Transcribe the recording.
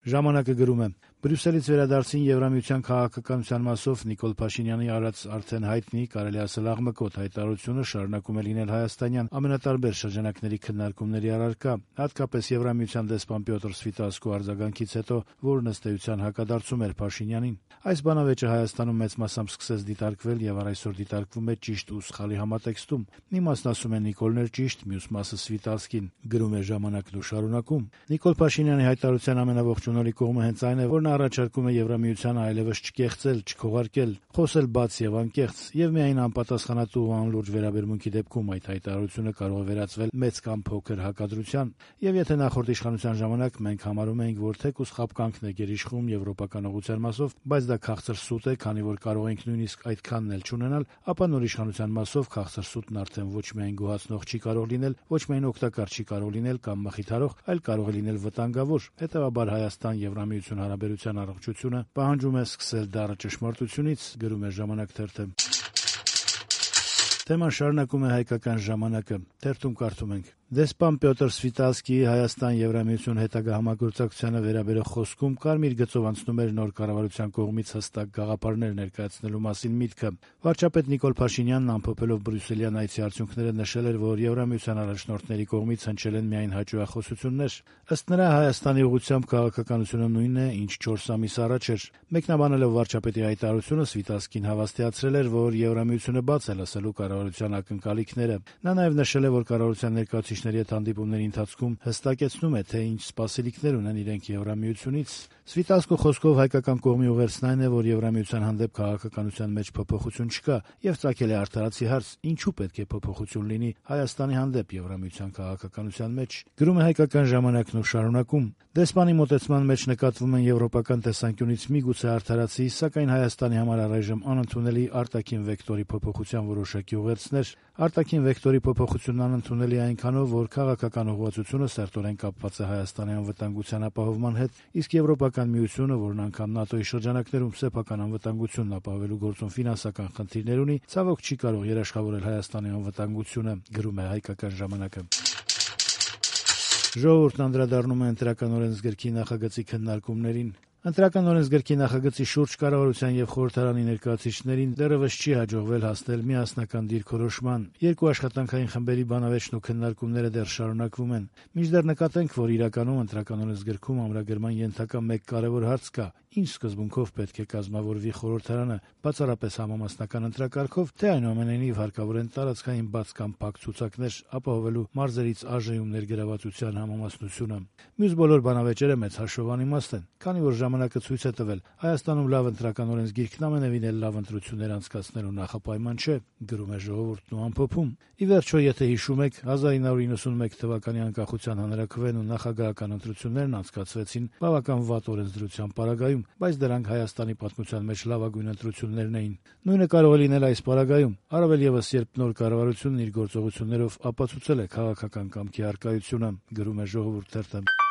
Ժամանակը գրում է. Բրյուսելից վերադարձին Եվրամիության քաղաքականության մասով Նիկոլ Փաշինյանի արած արդեն հայտնի, կարելի ասել աղմկոտ հայտարարությունը շարունակում է լինել հայաստանյան ամենատարբեր շրջանակների քննարկումների առարկա, հատկապես Եվրամիության դեսպան Պյոտր Սվիտասկու արձագանքից հետո, որն ըստ էության հակադարձում էր Փաշինյանին։ Այս բանավեճը Հայաստանում մեծ մասամբ սկսեց դիտարկվել եւ այսօր դիտարկվում է ճիշտ ու սխալի համատեքստում։ Մի մասն ասում է Նիկոլն էր ճիշտ, մյուս մասը Սվիտասկին, գրում է Ժամանակն ու շարունակում. Նիկոլ Փաշինյանի հայտարարության ամենաողջունալի կողմը հենց այն է, որ նա առաջարկում է Եվրամիությանը այլևս չկեղծել, չքողարկել, խոսել բաց եւ անկեղծ, եւ միայն անպատասխանատու ու անլուրջ վերաբերմունքի դեպքում այդ հայտարարությունը կարող է վերածվել մեծ կամ փոքր հակադրության։ Եվ եթե նախորդ իշխանության ժամանակ մենք համարում էինք, որ թեկուզ խապկանքն է գերիշխում եվրոպական ուղղության մասով, բայց դա քաղցր սուտ է, քանի որ կարող ենք նույնիսկ այդքանն էլ չունենալ, ապա նոր իշխանության մասով քաղցր սուտն արդեն ոչ միայն գոհացնող չի կարող լինել, ոչ միայն օգտակար չի կարող լինել կամ մխիթարող, այլ կարող է լինել վտանգավոր։ Հետևաբար Հայաստան-Եվրամիություն հարաբերության առողջությունը պահանջում է սկսել դառը ճշմարտությունից, գրում է Ժամանակ թերթը։ Թեման շարունակում է Հայկական ժամանակը, թերթում կարդում ենք. Դեսպան Պյոտր Սվիտասկիի Հայաստան-Եվրամիություն հետագա համագործակցությանը վերաբերող խոսքում կարմիր գծով անցնում էր նոր կառավարության կողմից հստակ գաղափարներ ներկայացնելու մասին միտքը։ Վարչապետ Նիկոլ Փաշինյանն ամփոփելով Բրյուսելյան այցի արդյունքները նշել էր, որ Եվրամիության առաջնորդների կողմից հնչել են միայն հաճոյախոսություններ։ Ըստ նրա Հայաստանի ուղղությամբ քաղաքականությունը նույնն է, ինչ 4 ամիս առաջ էր։ Մեկնաբանելով վարչապետի հայտարարությունը, Սվիտասկին հավաստիացրել էր, որ Եվրամիությունը բաց է լսելու կառավարության ակնկալիքները։ Նա նաև նշել է, որ կառավարության ներկայացուցիչների հետ հանդիպումների ընթացքում հստակեցնում է, թե ինչ սպասելիքներ ունեն իրենք Եվրամիությունից։ Սվիտասկու խոսքով հայկական կողմի ուղերձն այն է, որ Եվրամիության հանդեպ քաղաքականության մեջ փոփոխություն չկա, եւ ծագել է արդարացի հարց՝ ինչու պետք է փոփոխություն լինի Հայաստանի հանդեպ Եվրամիության քաղաքականության մեջ։ Գրում է Հայկական ժամանակն ու շարունակում. Դեսպանի մոտեցման մեջ նկատվում են եվրոպական տեսանկյունից միգուցե արդարացի, սակայն Հայաստանի համար առայժմ անընդունելի արտաքին վեկտորի փոփոխության որոշակի ուղերձներ։ Արտաքին վեկտորի փոփոխությունն անընդունելի է այնքանով, որ քաղաքական ուղղվածությունը սերտորեն կապված է Հայաստանի անվտանգության ապահովման հետ, իսկ Եվրոպական միությունը, որն անգամ ՆԱՏՕ-ի շրջանակներում սեփական անվտանգությունն ապահովելու գործում ֆինանսական խնդիրներ ունի, ցավոք չի կարող երաշխավորել Հայաստանի անվտանգությունը, գրում է Հայկական ժամանակը։ Ժողովուրդն անդրադառնում է ընտրական օրենսգրքի նախագծի քննարկումներին։ Ընտրական օրենսգրքի նախագծի շուրջ կառավարության եւ խորհրդարանի ներկայացուցիչներին դեռևս չի հաջողվել հասնել միասնական դիրքորոշման։ Երկու աշխատանքային խմբերի բանավեճն ու քննարկումները դեռ շարունակվում են։ Մինչդեռ նկատենք, որ իրականում ընտրական օրենսգրքում ամրագրման ենթակա մեկ կարևոր հարց կա. ինչ սկզբունքով պետք է կազմավորվի խորհրդարանը, բացառապես համամասնական ընտրակարգով, թե այնուամենայնիվ հարկավոր են տարածքային բաց կամ փակ ցուցակներ ապահովելու մարզերից ԱԺ-ում ներգրավվածության համամասնությունը։ Մյուս բոլոր բանավեճերը մեծ հաշվով անիմաստ են, քանի որ ժամանակը ցույց է տվել, Հայաստանում լավ ընտրական օրենսգիրքն ամենևին էլ լավ ընտրություններ անցկացնելու նախապայման չէ, գրում է Ժողովուրդն ու ամփոփում։ Ի վերջո, եթե հիշում եք, 1991 թվականի անկախության հանրաքվեն ու նախագահական ընտրություններն անցկացվեցին բավական վատ օրենսդրության պարագայում, բայց դրանք Հայաստանի պատմության մեջ լավագույն ընտրություններն էին։ Նույնը կարող է լինել այս պարագայում, առավել ևս երբ նոր կառավարությունն իր գործողություններով ապացուցել է քաղաքական կամքի առկայությունը, գրում է Ժողովուրդ թերթը։